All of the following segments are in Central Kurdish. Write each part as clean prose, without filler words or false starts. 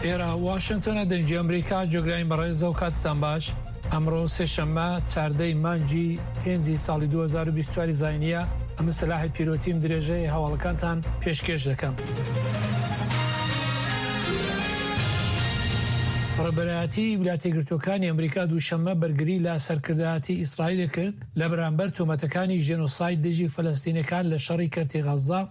ئێرە واشنتۆنە دەنگی ئەمریکا جۆگرانی بەڕێزە و کاتتان باش ئەمڕۆ سێشەممە چاردەی مانگی پێنجی ساڵی 2024 زینیە ئەمە سەلاحی پیرۆتیم درێژەی هەواڵەکانتان پێشکێش دەکەم. ڕێبەرایەتی ویلایەتە یەکگرتووەکانی ئەمریکا دووشەممە بەرگری لە سەرکردایەتی ئیسرائیل کرد لە بەرامبەر تۆمەتەکانی ژێنۆساید دژی فەلەستینەکان لە شەڕی کەرتی غەززە،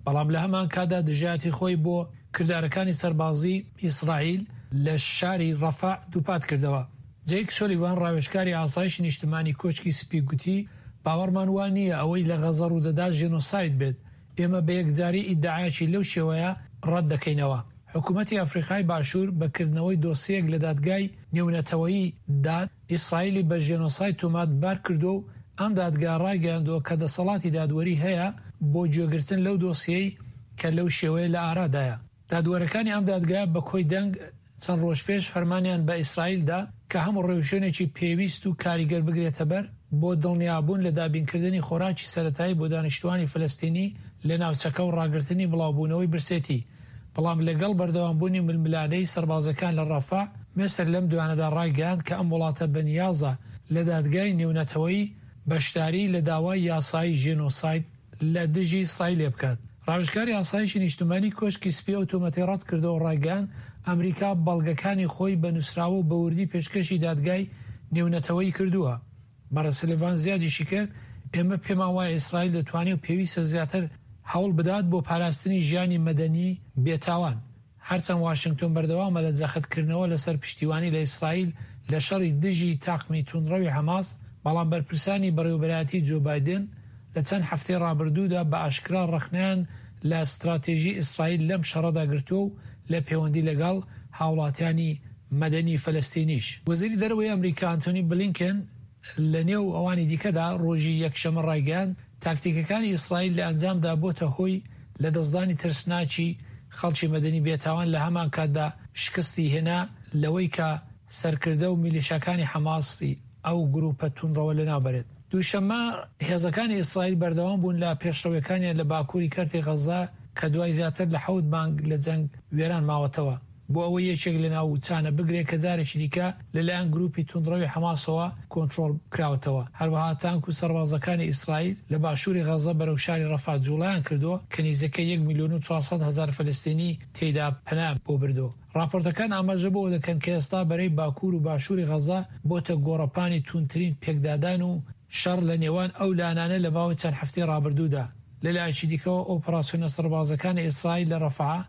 بەڵام لە هەمان کاتدا دژایەتی خۆی بۆ کردارەکانی سەربازی ئیسرائیل لە شاری ڕەفەع دووپات کردەوە. جەیک سۆلیڤان ڕاوێژکاری ئاسایشی نیشتمانی کۆشکی سپی گوتی، باوەڕمان وا نییە ئەوەی لە غەززە ڕوودەدات ژێنۆساید بێت، ئێمە بە یەکجاری ئیدعایەکی لەو شێوەیە ڕەت دەکەینەوە. حکوومەتی ئەفریقای باشوور بە کردنەوەی دۆسیەیەک لە دادگای نێونەتەوەیی داد، ئیسرائیلی بە ژێنۆساید تۆمەتبار کردووە و ئەم دادگا ڕایگەیاندووە کە دەسەڵاتی دادوەری هەیە بۆ گوێگرتن لەو دۆسیەی کە لەو شێوەیە لە ئارادایە. دادوەرەکانی ئەم دادگایە بە کۆی دەنگ چەند ڕۆژ پێش فەرمانیان بە ئیسرائیل دا کە هەموو ڕێوشوێنێکی پێویست و کاریگەر بگرێتەبەر بۆ دڵنیابوون لە دابینکردنی خۆراکی سەرەتایی بۆ دانیشتووانی فەلەستینی لە ناوچەکە و ڕاگرتنی بڵاوبوونەوەی برسێتی. بەڵام لەگەڵ بەردەوامبوونی ململانێی سەربازەکان لە ڕەفە، میسر لەم دوایانەدا ڕایگەیاند کە ئەم وڵاتە بەنیازە لە دادگای نێونەتەوەیی بەشداری لە داوای یاسایی ژێنۆساید لە دژی ئیسرائیل بکات. ڕاوێژکاری ئاسایشی نیشتمانی کۆشکی سپی ئەو تۆمەتەی ڕەتکردەوە و ڕایگەیاند، ئەمریکا بەڵگەکانی خۆی بە نووسراوە و بە وردی پێشکەشی دادگای نێونەتەوەیی کردووە. بەڕێز سلیڤان زیادیشی کرد، ئێمە پێمان وایە ئیسرائیل دەتوانێ و پێویستە زیاتر هەوڵ بدات بۆ پاراستنی ژیانی مەدەنی بێتاوان. هەرچەند واشنگتۆن بەردەوامە لە جەختکردنەوە لەسەر پشتیوانی لە ئیسرائیل لە شەڕی دژی تاقمی توندڕەوی حەماس، بەڵام بەرپرسانی بەڕێوەبەرایەتی جۆ بایدن لە چەند هەفتەی ڕابردوودا بە ئاشکرا ڕەخنەیان لە ستراتێژی ئیسرائیل لەم شەڕەدا گرتووە و لە پێوەندی لەگەڵ هاوڵاتیانی مەدەنی فەلەستینیش. وەزیری دەرەوەی ئەمریکا ئانتۆنی بلینکن لە نێو ئەوانی دیکەدا ڕۆژی یەکشەممە ڕایگەیاند، تاکتیکەکانی ئیسرائیل لە ئەنجامدا بۆتە هۆی لەدەستدانی ترسناکی خەڵکی مەدەنی بێتاوان لە هەمانکاتدا شکستی هێنا لەوەی کە سەرکردە و میلیشاکانی حەماسی ئەو گروپە توندڕەوە لەناوبەرێت. دووشەممە، هێزەکانی ئیسرائیل بەردەوام بوون لە پێشڕەویەکانیان لە باکووری کەرتی غەززە کە دوای زیاتر لە حەوت مانگ لە جەنگ وێران ماوەتەوە. بۆ ئەوەی یەکێک لە ناوچانە بگرێت کە جارێکی دیکە لەلایەن گروپی توندڕەوی حەماسەوە کۆنترۆڵ کراوەتەوە. هەروەها تانک و سەربازەکانی ئیسرائیل لە باشووری غەززە بەرەو شاری ڕەفا جوڵەیان کردووە کە نیزیکەی یەک ملیۆن و 400 هەزار فەلەستینی تێیدا پەنایان بۆ بردووە. ڕاپۆرتەکان ئاماژە بەوە دەکەن کە ئێستا بەرەی باکوور و باشووری غەززە بۆتە گۆڕەپانی توندترین پێکدادان و شەڕ لە نێوان ئەو لانانە لە ماوەی چەند هەفتەی ڕابردوودا. لە لایەکی دیکەوە ئۆپەراسیۆنە سەربازەکانی ئیسرائیل لە ڕەفەع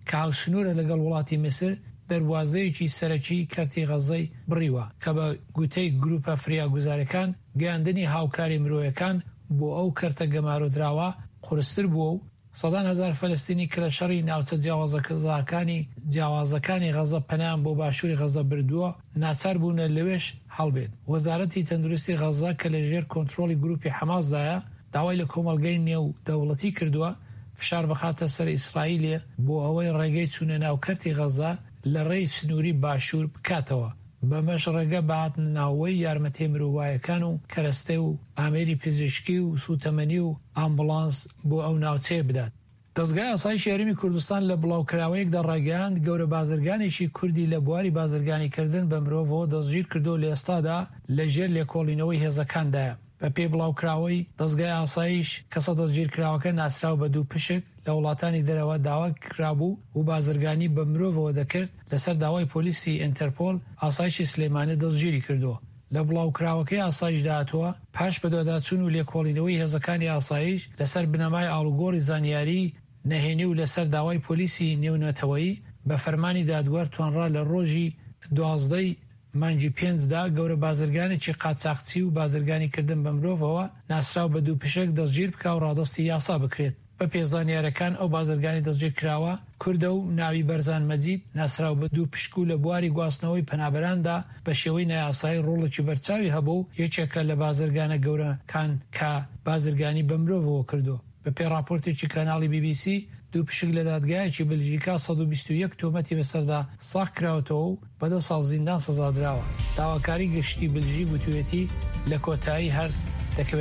کە هاوسنوورە لەگەڵ وڵاتی میسر، دەروازەیەکی سەرەکیی کەرتی غەززەی بڕیوە کە بە گوتەی گرووپە فریاگوزارەکان گەیاندنی هاوکاری مرۆیەکان بۆ ئەو کەرتە گەمارۆدراوە قورستر بووە و سەدان هەزار فەلەستینی کە لە شەڕی ناوچە جیاوازەکانی جیاوازەکانی غەزە پەنایان بۆ باشووری غەزە بردووە، ناچار بوونە لەوێش هەڵبێن. وەزارەتی تەندروستی غەزە کە لە ژێر کۆنترۆڵی گرووپی حەماسدایە، داوای لە کۆمەڵگەی نێودەوڵەتی کردووە فشار بخاتە سەر ئیسرائیلێ بۆ ئەوەی ڕێگەی چوونە ناو کەرتی غەزە لە ڕێی سنووری باشوور بکاتەوە، بەمەش ڕێگە بە هاتنەناوەوەی یارمەتیە مرۆوایەکان و کەرەستە و ئامێری پزیشکی و سووتەمەنی و ئامبوڵانس بۆ ئەو ناوچەیە بدات. دەزگای ئاسایشی هەرێمی کوردستان لە بڵاوکراوەیەکدا ڕایگەیاند، گەورە بازرگانێکی کوردی لە بواری بازرگانیکردن بە مرۆڤەوە دەستگیرکردووە لە ئێستادا لە ژێر لێکۆڵینەوەی هێزەکاندایە. بەپێی بڵاوکراوەی دەزگای ئاسایش، کەسە دەستگیرکراوەکە ناسراو بە دووپشک لە وڵاتانی دەرەوە داواکرابوو و بازرگانی بە مرۆڤەوە دەکرد، لەسەر داوای پۆلیسی ئینتەرپۆل ئاسایشی سلێمانی دەستگیری کردووە. لە بڵاوکراوەکەی ئاسایشدا هاتووە، پاش بەدواداچوون و لێکۆڵینەوەی هێزەکانی ئاسایش لەسەر بنەمای ئاڵوگۆڕی زانیاریی نهێنی و لەسەر داوای پۆلیسی نێونەتەوەیی بە فەرمانی دادوەر توانرا لە ڕۆژی 12 ی مانگی پێنج دا گەورە بازرگانێکی قاچاخچی و بازرگانی کردن بە مرۆڤەوە ناسراو بە دووپشک دەستگیر بکا و ڕادەستی یاسا بکرێت. بەپێ زانیارەکان ئەو بازرگانی دەستگیرکراوە کوردە و ناوی بەرزان مەجید ناسراو بە دووپشک و لە بواری گواستنەوەی پەنابەراندا بە شێوەی نایاسایی ڕۆڵێکی بەرچاوی هەبوو و یەکێکە لە بازرگانە گەورەکان کە بازرگانی بە مرۆڤەوە کردووە. بەپێی ڕاپۆرتێکی کەناڵی بی بی سی، دووپشک لە دادگایەکی بلژیکا 121 تۆمەتی بەسەردا ساغ کراوەتەوە و بە دە ساڵ زیندان سزادراوە. داواکاری گشتی بلژیک وتویەتی لە کۆتایی هەر دەکەوێتە.